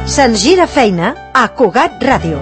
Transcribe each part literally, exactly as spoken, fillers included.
Se'ns gira feina a Cugat Ràdio.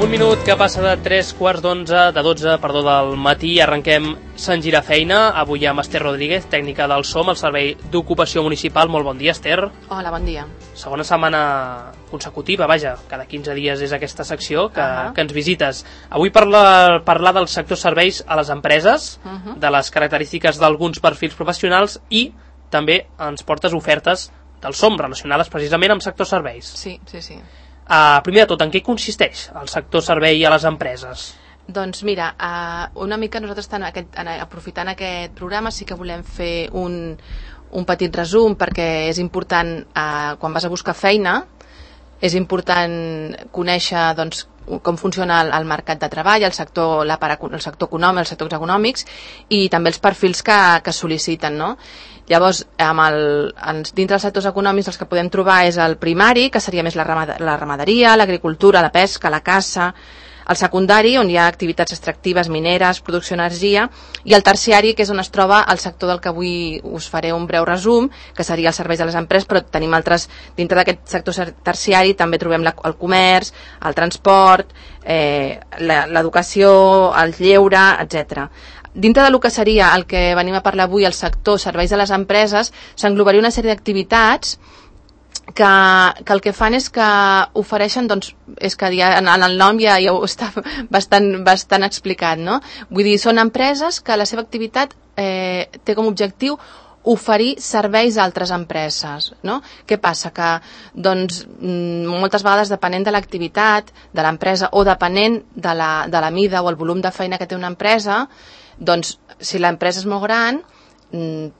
Un minut que passa de tres quarts d'onze, de dotze, perdó, del matí. Arrenquem Se'ns gira feina, avui amb Esther Rodríguez, tècnica del SOM, el Servei d'Ocupació Municipal. Molt bon dia, Esther. Hola, bon dia. Segona setmana consecutiva, vaja, cada quinze dies és aquesta secció que, uh-huh. que ens visites. Avui parla, parlar del sector serveis a les empreses, uh-huh. de les característiques d'alguns perfils professionals i també ens portes ofertes del SOM relacionades precisament amb sector serveis. Sí, sí, sí. Uh, primer de tot, en què consisteix el sector servei a les empreses? Doncs mira, uh, una mica nosaltres tant aquest, aprofitant aquest programa sí que volem fer un, un petit resum perquè és important, uh, quan vas a buscar feina, és important conèixer doncs, com funciona el, el mercat de treball, el sector, la para, el sector econòmic, els sectors econòmics i també els perfils que, que sol·liciten, no? Llavors, amb el, dintre dels sectors econòmics els que podem trobar és el primari, que seria més la, ramad la ramaderia, l'agricultura, la pesca, la caça, el secundari, on hi ha activitats extractives, mineres, producció d'energia, i el terciari, que és on es troba el sector del que avui us faré un breu resum, que seria els serveis de les empreses, però tenim altres, dintre d'aquest sector terciari també trobem la, el comerç, el transport, eh, l'educació, el lleure, etcètera. Dintre del que seria el que venim a parlar avui, el sector serveis de les empreses, s'englobaria una sèrie d'activitats que, que el que fan és que ofereixen, doncs, és que ja, en el nom ja, ja ho està bastant, bastant explicat, no? Vull dir, són empreses que la seva activitat eh, té com a objectiu oferir serveis a altres empreses, no? Què passa? Que, doncs, moltes vegades, depenent de l'activitat de l'empresa o depenent de la, de la mida o el volum de feina que té una empresa, doncs, si l'empresa és molt gran,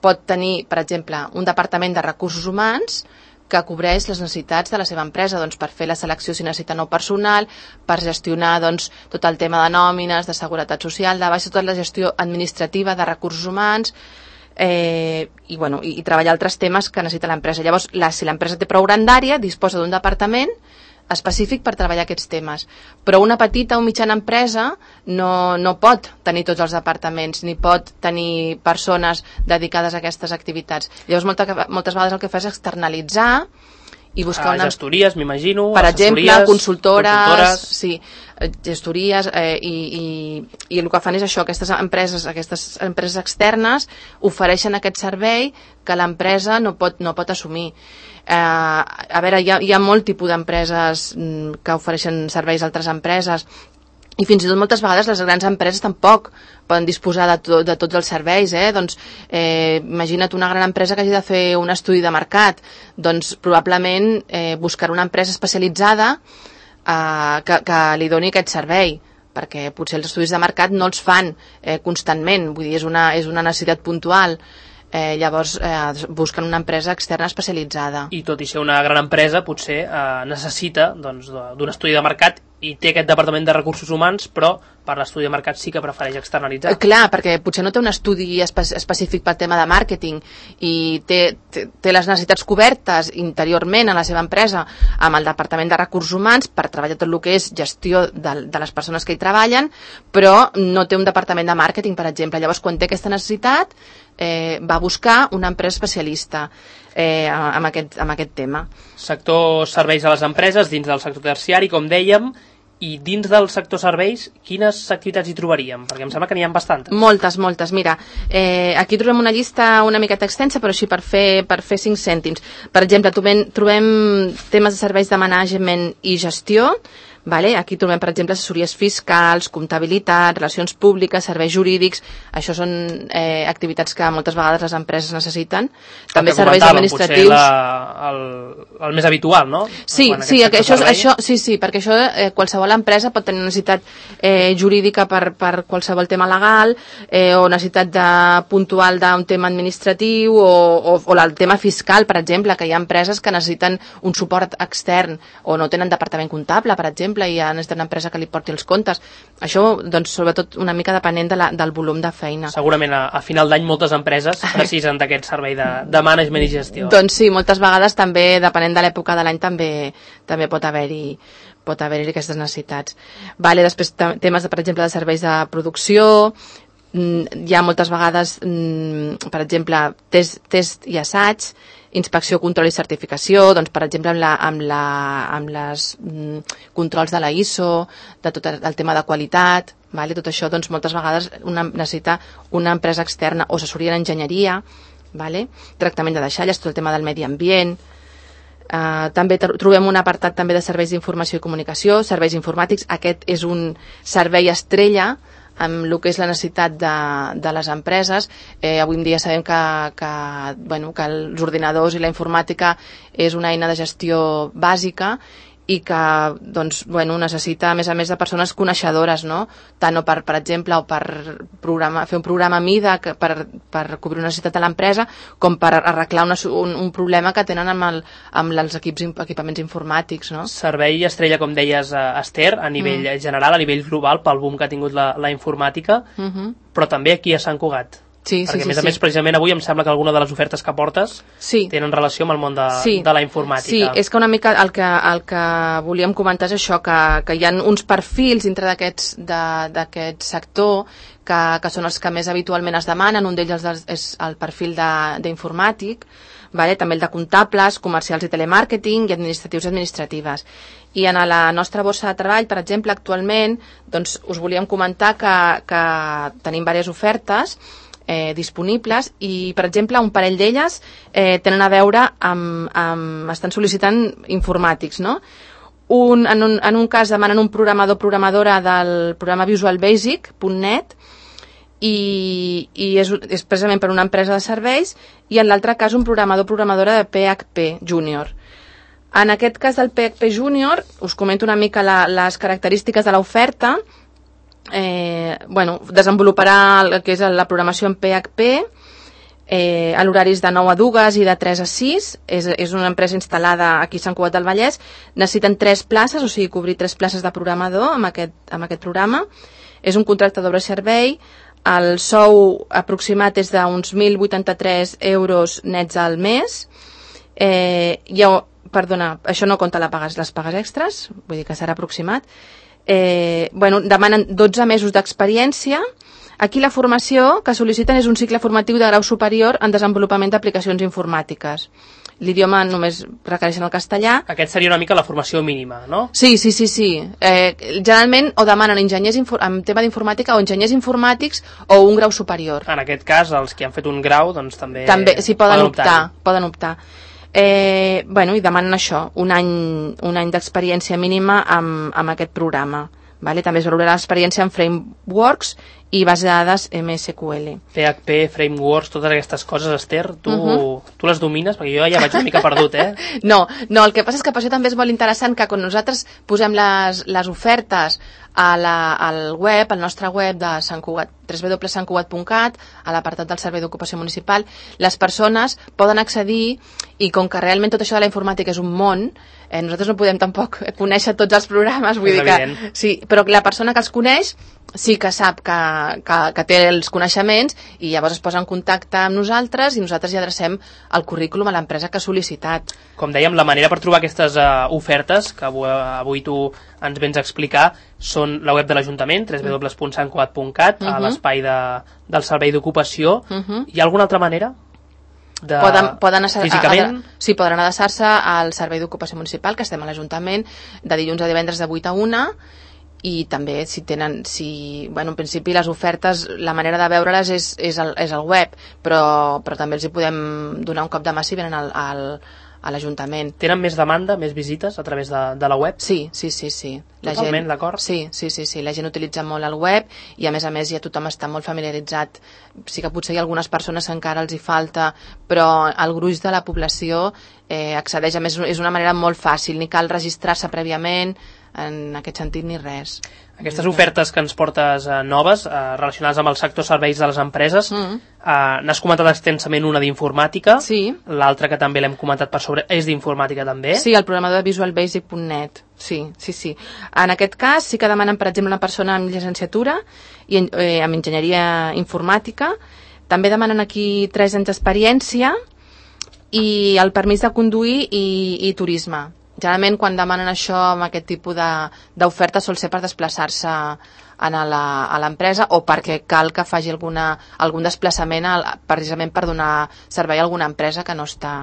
pot tenir, per exemple, un departament de recursos humans que cobreix les necessitats de la seva empresa, doncs, per fer la selecció si necessita nou personal, per gestionar, doncs, tot el tema de nòmines, de seguretat social, de baixa, tota la gestió administrativa de recursos humans, eh, i, bueno, i, i treballar altres temes que necessita l'empresa. Llavors, la, si l'empresa té prou grandària, disposa d'un departament específic per treballar aquests temes. Però una petita o mitjana empresa no, no pot tenir tots els departaments, ni pot tenir persones dedicades a aquestes activitats. Llavors, molta, moltes vegades el que fa és externalitzar i buscar una... Gestories, m'imagino, per exemple, consultores, consultores, sí, gestories, eh, i, i, i el que fan és això, aquestes empreses, aquestes empreses externes ofereixen aquest servei que l'empresa no pot, no pot assumir. Eh, a veure, hi ha, hi ha molt tipus d'empreses que ofereixen serveis a altres empreses i fins i tot moltes vegades les grans empreses tampoc poden disposar de, to, de tots els serveis, eh? Doncs eh, imagina't una gran empresa que hagi de fer un estudi de mercat, doncs probablement eh, buscar una empresa especialitzada eh, que, que li doni aquest servei, perquè potser els estudis de mercat no els fan eh, constantment, vull dir, és una, és una necessitat puntual. Eh, llavors eh, busquen una empresa externa especialitzada. I tot i ser una gran empresa potser eh, necessita doncs, d'un estudi de mercat i té aquest departament de recursos humans, però per l'estudi de mercat sí que prefereix externalitzar. Eh, clar, perquè potser no té un estudi espe específic pel tema de màrqueting i té, té, té les necessitats cobertes interiorment a la seva empresa amb el departament de recursos humans per treballar tot el que és gestió de, de les persones que hi treballen, però no té un departament de màrqueting, per exemple. Llavors, quan té aquesta necessitat, eh, va buscar una empresa especialista eh, amb, aquest, amb aquest tema. Sector serveis a les empreses, dins del sector terciari, com dèiem, i dins del sector serveis, quines activitats hi trobaríem? Perquè em sembla que n'hi ha bastantes. Moltes, moltes. Mira, eh, aquí trobem una llista una miqueta extensa, però així per fer, per fer cinc cèntims. Per exemple, trobem, trobem temes de serveis de management i gestió. Vale? Aquí trobem, per exemple, assessories fiscals, comptabilitat, relacions públiques, serveis jurídics. Això són eh, activitats que moltes vegades les empreses necessiten. També serveis administratius. La, el, el més habitual, no? Sí, sí, això, això, sí, sí, perquè això eh, qualsevol empresa pot tenir necessitat eh, jurídica per, per qualsevol tema legal eh, o necessitat de, puntual d'un tema administratiu o, o, o el tema fiscal, per exemple, que hi ha empreses que necessiten un suport extern o no tenen departament comptable, per exemple, exemple, i ja necessita una empresa que li porti els comptes. Això, doncs, sobretot una mica depenent de la, del volum de feina. Segurament a, a final d'any moltes empreses precisen d'aquest servei de, de management i gestió. Doncs sí, moltes vegades també, depenent de l'època de l'any, també, també pot haver-hi pot haver-hi aquestes necessitats. Vale, després temes, de, per exemple, de serveis de producció, hi ha moltes vegades, per exemple, test, test i assaig, inspecció, control i certificació, doncs, per exemple, amb, la, amb, la, amb les mm, controls de la I S O, de tot el tema de qualitat, vale? Tot això, doncs, moltes vegades una, necessita una empresa externa o assessoria en enginyeria, vale? Tractament de deixalles, tot el tema del medi ambient. Uh, també trobem un apartat també de serveis d'informació i comunicació, serveis informàtics. Aquest és un servei estrella amb el que és la necessitat de, de les empreses. Eh, avui en dia sabem que, que, bueno, que els ordinadors i la informàtica és una eina de gestió bàsica i que doncs, bueno, necessita, a més a més, de persones coneixedores, no? Tant o per, per exemple, o per programa, fer un programa a mida que, per, per cobrir una necessitat de l'empresa, com per arreglar una, un, un problema que tenen amb, el, amb els equips, equipaments informàtics, no? Servei estrella, com deies, Esther, a nivell mm. general, a nivell global, pel boom que ha tingut la, la informàtica, mm-hmm. però també aquí a Sant Cugat. Sí, perquè sí, a més sí, a més, sí. precisament avui em sembla que alguna de les ofertes que portes sí. tenen relació amb el món de, sí. de la informàtica. Sí, és que una mica el que, el que volíem comentar és això, que, que hi ha uns perfils dintre d'aquest sector que, que són els que més habitualment es demanen. Un d'ells és el perfil d'informàtic, vale? També el de comptables, comercials i telemàrqueting i administratius i administratives. I en la nostra borsa de treball, per exemple, actualment, doncs, us volíem comentar que, que tenim diverses ofertes Eh, disponibles i, per exemple, un parell d'elles eh, tenen a veure amb, amb estan sol·licitant informàtics, no? Un, en, un, en un cas demanen un programador programadora del programa Visual Basic punt net i, i és, és precisament per una empresa de serveis, i en l'altre cas un programador programadora de P H P Junior. En aquest cas del P H P Junior us comento una mica la, les característiques de l'oferta. Eh, bueno, desenvoluparà el que és la programació en P H P eh, a l'horaris de nou a dues i de tres a sis. És, és una empresa instal·lada aquí a Sant Cugat del Vallès. Necessiten tres places, o sigui, cobrir tres places de programador amb aquest, amb aquest programa. És un contracte d'obra-servei. El sou aproximat és d'uns mil vuitanta-tres euros nets al mes. Eh, ja, perdona, això no compta la pagues, les pagues extres, vull dir que serà aproximat. Eh, bueno, demanen dotze mesos d'experiència. Aquí la formació que sol·liciten és un cicle formatiu de grau superior en desenvolupament d'aplicacions informàtiques. L'idioma només requereixen el castellà. Aquest seria una mica la formació mínima, no? Sí, sí, sí, sí. Eh, generalment o demanen enginyers en tema d'informàtica o enginyers informàtics o un grau superior. En aquest cas, els que han fet un grau, doncs també... També, sí, poden, poden optar, optar. Poden optar. Eh, bueno, i demanen això, un any, un any d'experiència mínima amb, amb aquest programa. Vale? També es valorarà l'experiència en frameworks i base de dades M S Q L. P H P, frameworks, totes aquestes coses, Esther, tu, uh-huh. tu les domines? Perquè jo ja vaig una mica perdut, eh? No, no, el que passa és que per això també és molt interessant que quan nosaltres posem les, les ofertes a la, al web, al nostre web de Sant Cugat, w w w punt sant cugat punt cat, a l'apartat del Servei d'Ocupació Municipal, les persones poden accedir, i com que realment tot això de la informàtica és un món, eh, nosaltres no podem tampoc conèixer tots els programes, vull és dir que, evident. sí, però la persona que els coneix sí que sap que, que, que té els coneixements, i llavors es posa en contacte amb nosaltres i nosaltres ja adrecem el currículum a l'empresa que ha sol·licitat. Com dèiem, la manera per trobar aquestes uh, ofertes que avui, avui tu ens vens a explicar són la web de l'Ajuntament, w w w punt sant cugat punt cat, uh -huh. a l'espai de, del Servei d'Ocupació. Uh -huh. Hi ha alguna altra manera? De... Poden, poden assa... Físicament? A, a, sí, poden adreçar-se al Servei d'Ocupació Municipal, que estem a l'Ajuntament, de dilluns a divendres de vuit a una, i també si tenen, si, bueno, en principi les ofertes, la manera de veure-les és, és, el, és el web, però, però també els hi podem donar un cop de mà si venen al, al, a l'Ajuntament. Tenen més demanda, més visites a través de, de la web? Sí, sí, sí, sí. La Totalment, d'acord? Sí, sí, sí, sí, la gent utilitza molt el web i a més a més ja tothom està molt familiaritzat. Sí que potser hi ha algunes persones que encara els hi falta, però el gruix de la població eh, accedeix, a més és una manera molt fàcil, ni cal registrar-se prèviament, en aquest sentit ni res. Aquestes ofertes que ens portes eh, noves, eh, relacionades amb el sector serveis de les empreses, mm. eh, n'has comentat extensament una d'informàtica, sí. L'altra que també l'hem comentat per sobre és d'informàtica també. Sí, el programador de visual basic punt net, sí, sí, sí. En aquest cas sí que demanen, per exemple, una persona amb llicenciatura i eh, amb enginyeria informàtica. També demanen aquí tres anys d'experiència i el permís de conduir i, i turisme. Generalment, quan demanen això amb aquest tipus d'oferta, sol ser per desplaçar-se a l'empresa o perquè cal que faci alguna, algun desplaçament a, precisament per donar servei a alguna empresa que no està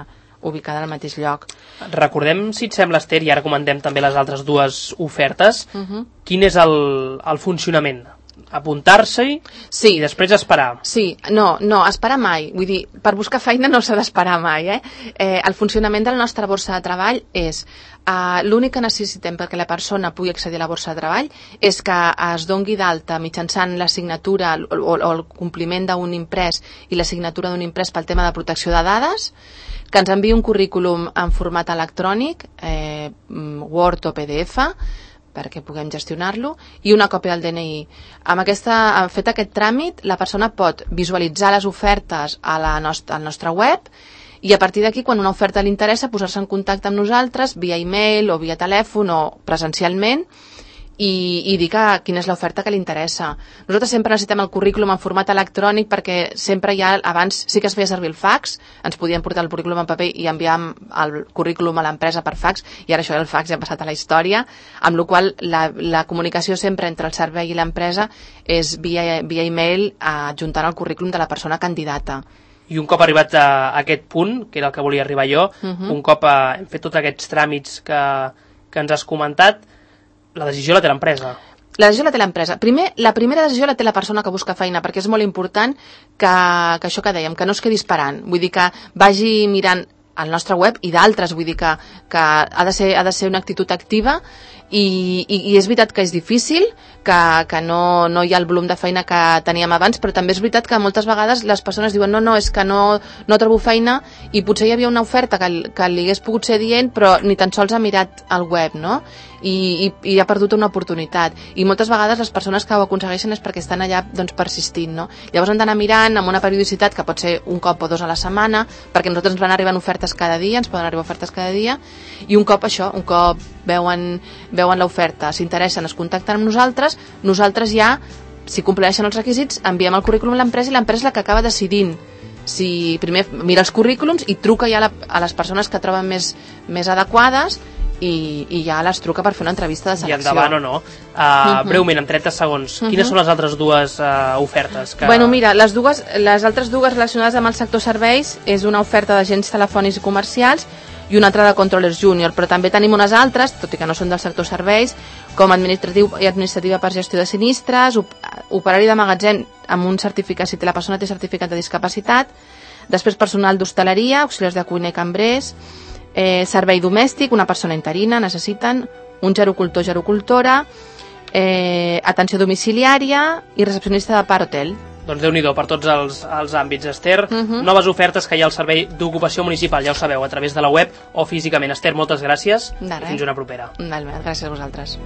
ubicada al mateix lloc. Recordem, si et sembla, Esther, i ara comentem també les altres dues ofertes, uh-huh. Quin és el, el funcionament? Apuntar-s'hi sí. I després esperar. Sí, no, no, esperar mai. Vull dir, per buscar feina no s'ha d'esperar mai. Eh? Eh, el funcionament de la nostra borsa de treball és eh, l'únic que necessitem perquè la persona pugui accedir a la borsa de treball és que es dongui d'alta mitjançant la signatura o, o, o el compliment d'un imprès i la signatura d'un imprès pel tema de protecció de dades, que ens enviï un currículum en format electrònic, eh, Word o P D F, perquè puguem gestionar-lo, i una còpia del D N I. Amb aquesta, amb fet aquest tràmit, la persona pot visualitzar les ofertes a la nostra, al nostre web i a partir d'aquí, quan una oferta li interessa, posar-se en contacte amb nosaltres via e-mail o via telèfon o presencialment i, i dir que, quina és l'oferta que li interessa. Nosaltres sempre necessitem el currículum en format electrònic perquè sempre hi ha, abans sí que es feia servir el fax, ens podien portar el currículum en paper i enviàvem el currículum a l'empresa per fax, i ara això del fax ja ha passat a la història, amb la qual la, la comunicació sempre entre el servei i l'empresa és via, via e-mail adjuntant el currículum de la persona candidata. I un cop arribat a aquest punt, que era el que volia arribar jo, uh-huh. un cop a, hem fet tots aquests tràmits que, que ens has comentat, la decisió la té l'empresa. La decisió la té l'empresa. Primer, la primera decisió la té la persona que busca feina, perquè és molt important que, que això que dèiem, que no es quedi esperant. Vull dir que vagi mirant al nostre web i d'altres, vull dir que, que ha, de ser, ha de ser una actitud activa i, i, i és veritat que és difícil, que, que no, no hi ha el volum de feina que teníem abans, però també és veritat que moltes vegades les persones diuen no, no, és que no, no trobo feina i potser hi havia una oferta que, que li hagués pogut ser dient però ni tan sols ha mirat el web, no? I, i, i ha perdut una oportunitat. I moltes vegades les persones que ho aconsegueixen és perquè estan allà doncs, persistint, no? Llavors han d'anar mirant amb una periodicitat que pot ser un cop o dos a la setmana, perquè a nosaltres ens van arribant ofertes cada dia, ens poden arribar ofertes cada dia, i un cop això, un cop veuen, veuen l'oferta, s'interessen, es contacten amb nosaltres, nosaltres ja, si compleixen els requisits, enviem el currículum a l'empresa i l'empresa és la que acaba decidint si primer mira els currículums i truca ja a, la, a les persones que troben més, més adequades i, i ja les truca per fer una entrevista de selecció. I endavant o no. Uh, uh-huh. Breument, en trenta segons, uh-huh. quines són les altres dues uh, ofertes? Que... Bueno, mira, les, dues, les altres dues relacionades amb el sector serveis és una oferta d'agents telefònics i comercials i una altra de controllers júnior, però també tenim unes altres, tot i que no són del sector serveis, com administratiu i administrativa per gestió de sinistres, op operari de magatzem amb un certificat, si la persona té certificat de discapacitat, després personal d'hostaleria, auxiliars de cuina i cambrers, eh, servei domèstic, una persona interina, necessiten un gerocultor, gerocultora, eh, atenció domiciliària i recepcionista de par hotel. Doncs Déu-n'hi-do per tots els, els àmbits, Esther. Uh-huh. Noves ofertes que hi ha al Servei d'Ocupació Municipal, ja ho sabeu, a través de la web o físicament. Esther, moltes gràcies i fins una propera. Gràcies a vosaltres.